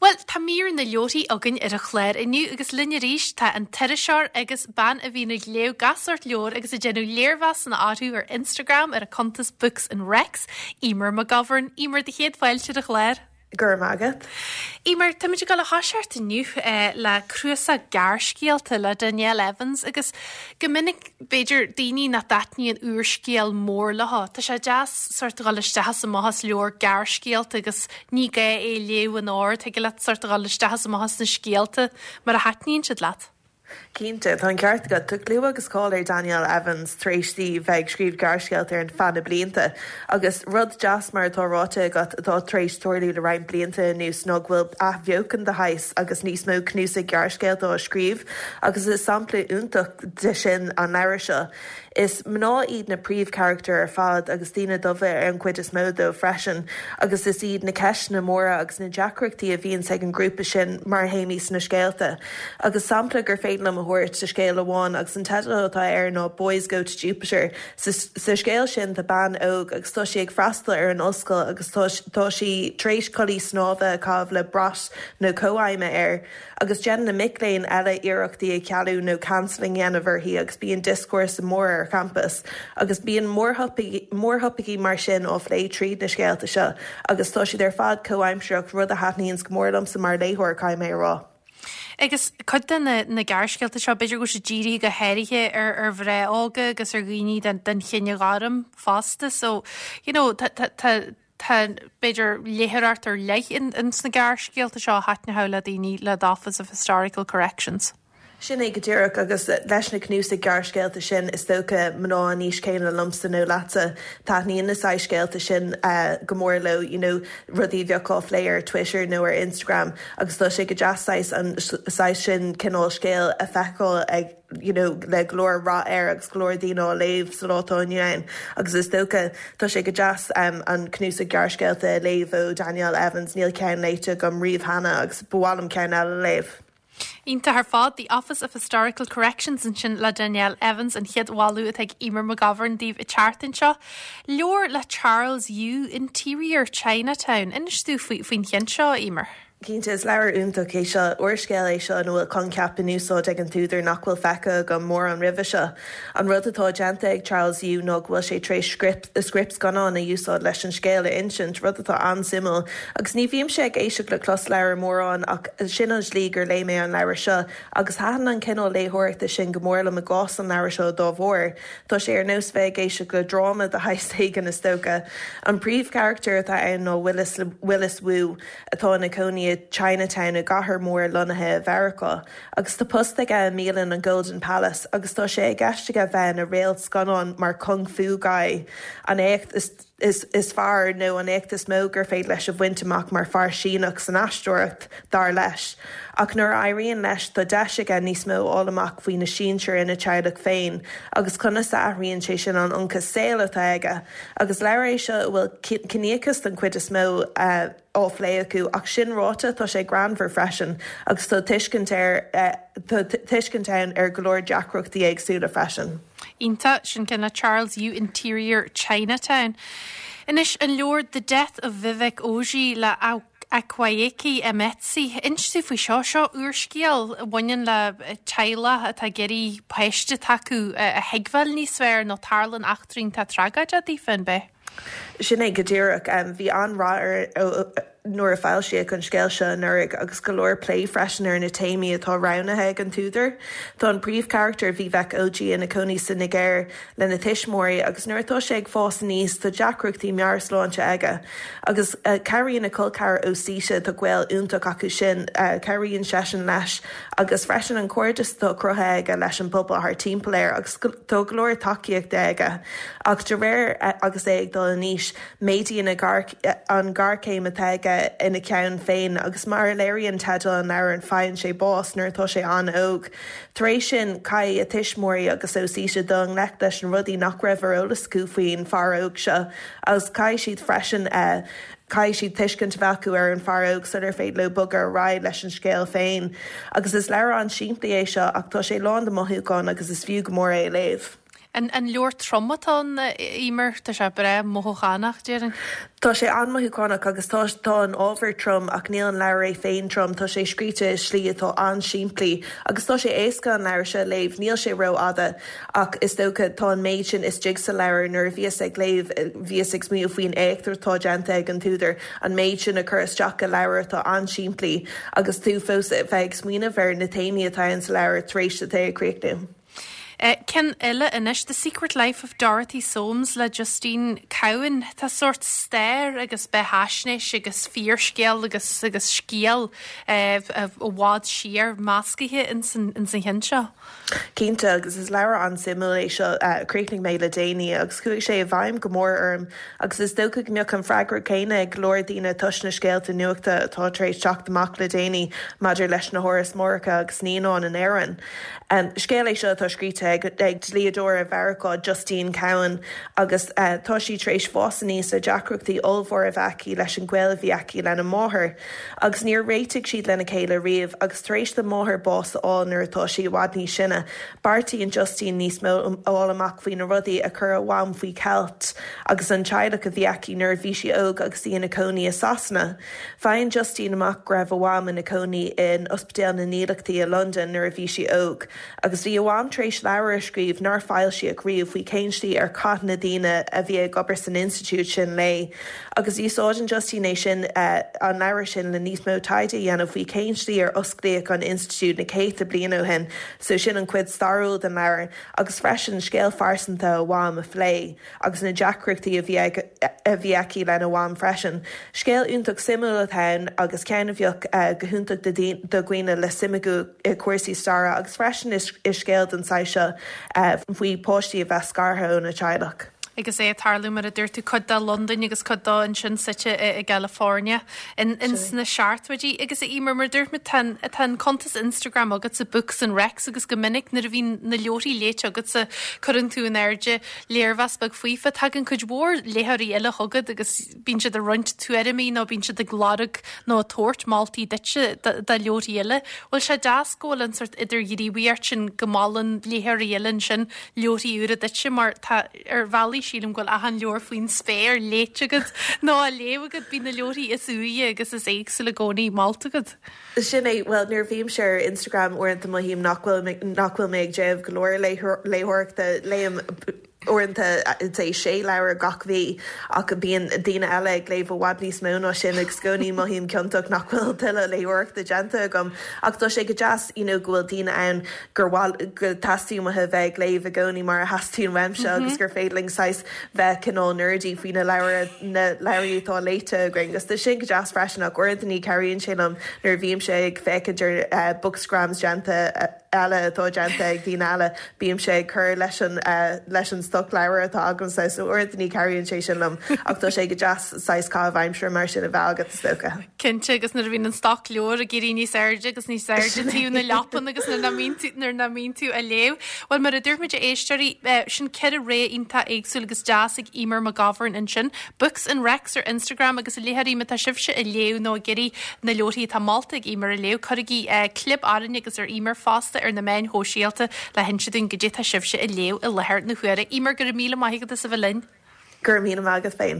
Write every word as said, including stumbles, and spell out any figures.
Bhuel, tá mír na leabharthaí againn ar an chlár inniu agus linn arís tá an t-iriseoir agus bean a bhíonn ag léamh gach sórt leabhar agus ag déanamh léirmheasanna orthu ar Instagram ar a cuntas Books and Recs, Eimear McGovern. Eimear do chéad fáilte ar an chlár. Gur agad. Eimear tá muid ag dul a thoiseacht inniu eh, le cnuasach gearrscéalta le Danielle Evans agus go minic b'fhéidir daoine nach dtaitníonn úrscéal mór leo. Tá sé deas sort dul isteach is amach as leabhar gearrscéalta agus ní gá é léamh in ord thig leat sort dul isteach is amach as na scéalta mar a thaitníonn siad leat. Cinnte tá an ceart agat tá clú agus cáil ar Danielle Evans tar éis di bheith ag scríobh gearrscéalta ar feadh na blianta. agus rud deas mar atá ráite agat atá tar éis tarlú le roinnt blianta anuas ná go bhfuil athbheochan de shaghas agus níos mó cnuasaigh gearrscéalta á scríobh, agus is sampla iontach de sin an leabhar seo. Is mná iad na príomhcharachtair ar fad agus daoine dubha ar an chuid is mó dóibh freisin, agus is iad na ceisteanna móra agus na deacrachtaí a bhíonn ag an grúpa sin mar théamaí sna scéalta. Agus sampla gur féidir liom a thabhairt sa scéal amháin agus an teideal atá air ná Boys Go to Jupiter. Sa, sa scéal sin tá bean óg agus tá sí ag freastal ar an ollscoil agus tá sí tar éis culaith snámha a chaitheamh le brat na comhairme air, agus déanann na mic léinn eile iarracht í a chealú nó cancelling a dhéanamh uirthi agus bíonn discourse mór ar campus, agus bíonn mórthopaicí mar sin á phlé tríd na scéalta seo, agus tá siad ar fad comhaimsearach rud a thaitníonn go mór liomsa mar léitheoir caithfidh mé a rá. Agus cuid de na, na gearrscéalta seo b'fhéidir go bhfuil sé dírithe go háirithe ar ar mhná óga agus ar dhaoine den, den chine ghorm fosta, so you know, tá tá tá b'fhéidir léitheoireacht ar leith in, in sna gearrscéalta seo a thaitneodh le daoine le The Office of Historical Corrections. Sin é go díreach agus leis na cnuasaigh gearrscéalta sin is dócha mná an aois céanna liomsa nó leatsa taitníonn na scéalta sin uh, go mór leo you know, rudaí bheadh á phlé ar Twitter nó ar Instagram agus tá sé go deas an saghas sin cineál scéil a feiceáil ag you know, le go leor rath air agus go leor daoine á léamh sa lá atá inniu ann agus is dócha tá sé go deas um, an cnuasach gearrscéalta léamh ó Danielle Evans níl ceann léite agam riamh cheana agus ba mhaith liom ceann eile léamh. Iontach ar fad the Office of Historical Corrections ansin le Danielle Evans an chéad bhailiú atá ag Eimear McGovern daoibh an tseachtain seo. Leabhar le Charles Yu Interior Chinatown. Inis dúinn faoin cheann seo Eimear. Cinnte is leabhar iontach é seo úrscéal é seo ina bhfuil coincheap in úsáid ag an t-údar nach bhfuil feicthe agam mórán roimhe seo. An rud atá déanta ag Charles Yu ná go bhfuil sé tar éis script script scannán a úsáid leis an scéal a insint rud atá an-suimiúil, agus ní bhímse ag éisteacht le closleabhar mórán ach sin an slí gur léigh mé an leabhar seo, agus thaitin an cineál léitheoireachta sin go mór liom i gcás an leabhar seo dá bharr. Tá sé ar nós bheith ag éisteacht le dráma de shaghas éigin is dócha. An príomhcharachtar atá ann ná Willis, Willis Wu atá ina chónaí Chinatown i gcathair mór lonnaithe i Meiriceá, agus tá post aige i mbialann an Golden Palace agus tá sé i gceist aige bheith ina réalt scannán mar Kung Fu Guy an éacht is is, is fearr nó an éacht is mó gur féidir leis a bhaint amach mar fear Síneach san aisteoireacht dar leis. Ach nuair a éiríonn leis tá deis aige níos mó a fháil amach faoina sinsir ina teaghlach féin, agus conas a athraíonn sé sin an ionchas saoil atá aige, agus leabhar é seo a bhfuil ciníochas den chuid is mó uh, á phlé acu ach sin ráite tá sé greannmhar freisin agus tá tuiscint ar uh, tuiscint ann ar go leor deacrachtaí éagsúla freisin. Iontach sin ceann le Charles Yu Interior Chinatown. Anois an leabhar The Death of Vivek Oji le Akwaeke Emezi. Inis dúinn faoi seo seo úrscéal a bhaineann le teaghlach atá ag iarraidh páiste acu a thuigbheáil níos fearr nó tarlaíonn eachtraí tá tragóideach daofa an b'ea. Sin é go díreach um, bhí an-rath ar nuair a foilsíodh an scéal seo anuraidh agus go leor plé freisin ar na téamaí atá roghnaithe ag an t-údar. Tá an príomhcharachtar Vivek Oji ina chónaí sa Nigéir lena thuismitheoirí agus nuair atá sé ag fás aníos tá deacrachtaí meabhairshláinte aige. Agus uh, cabhraíonn a chol ceathar Osita tá gaol iontach acu sin uh, cabhraíonn seisean leis agus freisin an cairdeas atá cruthaithe aige leis an bpobal thart timpeall air agus tá go leor tacaíochta aige. Ach de réir uh, agus é ag dul in aois méadaíonn an ghéarchéim atá aige ina cheann féin agus mar a léiríonn teideal an leabhair faigheann sé bás nuair atá sé an-óg. Tar éis sin caithfidh a thuismitheoirí agus Osita dul i ngleic leis na rudaí nach raibh ar eolas acu faoin bhfear óg seo agus caithfidh siad freisin uh, caithfidh siad tuiscint a bheith acu ar an bhfear óg sular féidir leo bogadh ar aghaidh leis an scéal féin. Agus is leabhar an-simplí é seo ach tá sé lán de mothúcháin agus is fiú go mór é a léamh. An an leabhar trom atá ann, a Eimear, tá sé breá mothúchánach, déarfainn. Tá sé an-mhothúchánach agus tá tá an ábhar trom ach níl an leabhar é féin trom, tá sé scríte i slí atá an-simplí agus tá sé éasca an leabhar seo a léamh, níl sé rófhada ach is dócha tá an méid sin istigh sa leabhar nuair a bhíos ag léamh bhíos ag smaoineamh faoin éacht atá déanta ag an t-údar an méid sin a chur isteach i leabhar atá an-simplí agus tú fós bheith ag smaoineamh ar na téamaí atá ann sa leabhar tar éis duit é a chríochnú. Ceann eile anois, The Secret Life of Dorothy Soames le Justine Cowan. Tá sórt stair agus beathaisnéis agus fíorscéal agus agus scéal i bhfad siar meascaithe ins an cheann seo. Cinnte agus is leabhar an-suimiúil é seo a chríochnaigh mé le déanaí agus chuaigh sé i bhfeidhm go mór orm agus is dócha go mbeadh an freagra céanna ag go leor daoine toisc na scéalta nuachta atá tar éis teacht amach le déanaí maidir leis na hárais máithreacha agus naíonán in Éirinn. Scéal é seo atá scríte ag ag dlíodóir i Mheiriceá Justine Cowan agus tá sí tar éis fás aníos le deacrachtaí ollmhór a bheith aici leis an gaol a bhí aici lena máthair. Agus níor réitigh siad lena chéile riamh agus tar éis do máthair bás a fháil nuair atá sí i bhfad níos sine. Beartaíonn Justine níos mó a fháil amach faoi na rudaí a chuir a mham faoi cheilt agus an teaghlach a bhí aici nuair a bhí sí óg agus í ina cónaí i Sasana. Faigheann Justine amach go raibh a mham ina cónaí in Ospidéal na nDílleachtaí i Londain nuair a bhí sí óg, agus bhí a mham tar éis leabhar a scríobh nár foilsíodh riamh faoi cén slí ar chaith na daoine a bhí ag obair san institiúid sin léi. Agus úsáideann Justine é sin an leabhar sin le níos mó taighde a dhéanamh faoi cén slí ar osclaíodh an institiúid na céadta bliain ó shin, so sin an chuid stairiúil den leabhar, agus freisin scéal phearsanta a mham a phlé agus na deacrachtaí a bhí a bhí aici lena mham freisin. Scéal iontach suimiúil atá ann agus ceann a bheadh go hiontach do dhaoine le suim acu i cúrsaí staire agus freisin is scéal den saghas seo faoi páistí a bheith scartha óna teaghlach. Agus é ag tarlú mar a dúirt tú cuid de i Londain agus cuid de ansin suite i gCalifornia in sna seachtóidí. Agus a Eimear mar dúirt mé tá tá an cuntas Instagram agatsa Books and Recs agus go minic nuair a bhíonn na leabharthaí léite agatsa cuireann tú in airde léirmheas beag faofa tagann cuid mhór léitheoirí eile chugat agus bíonn siad ag roinnt tuairimí nó bíonn siad ag lorg nó ag tabhairt moltaí duitse do leabharthaí eile. Bhfuil sé deas go bhfuil an sórt idirghníomhaíocht sin go molann léitheoirí eile ansin leabharthaí úra duitse mar tá ar bhealaí sílim go bhfuil achan leabhar faoin spéir léite agat nó á léamh agat bíonn na leabharthaí is úire agus is éagsúla i gcónaí molta agat. Sin é well nuair a bhímse ar Instagram uaireanta mothaím nach bhfuil nach bhfuil mé ag déanamh go leor léitheoireachta léim uaireanta sé sé leabhar gach mí ach bíonn daoine eile ag léamh i bhfad níos mó ná sin agus i gcónaí mothaím ciontach nach bhfuil tuilleadh léitheoireachta déanta agam ach tá sé go deas you know, go bhfuil daoine ann gur go teastaíonn uathu bheith ag léamh i gcónaí mar a theastaíonn uaimse agus gur féidir linn saghas bheith cineál nerdy faoi na leabhair na leabhair atá léite againn agus tá sin go deas freisin ach uaireanta ní chabhraíonn sé liom nuair a bhímse ag féachaint ar uh, bookstagrams déanta uh, eile atá déanta ag daoine eile bímse ag cur leis an uh, leis an stoc leabhar atá agam sa so uaireanta ní chabhraíonn sé sin liom ach tá sé go deas saghas caitheamh aimsire mar sin a bheith agat is dócha. Cinnte agus nuair a bhíonn an stoc leabhar ag éirí níos airde agus níos airde taobh na leapan agus nuair nach nuair nach mbíonn tú ag léamh. Well mar a dúirt muid a éisteoirí sin ceithre rogha iontach éagsúil agus deas ag Eimear McGovern ansin. Books and Recs ar Instagram agus a léitheoirí má tá sibhse ag léamh nó ag iarraidh na leabharthaí atá molta ag Eimear a léamh cuirigí clib orainne agus ar Eimear fosta ar na meáin shóisialta le hinse dúinn goidé tá sibhse ag léamh i láthair na huaire. Eimear go raibh míle maith agat as a bheith linn. Gur mí agat féin.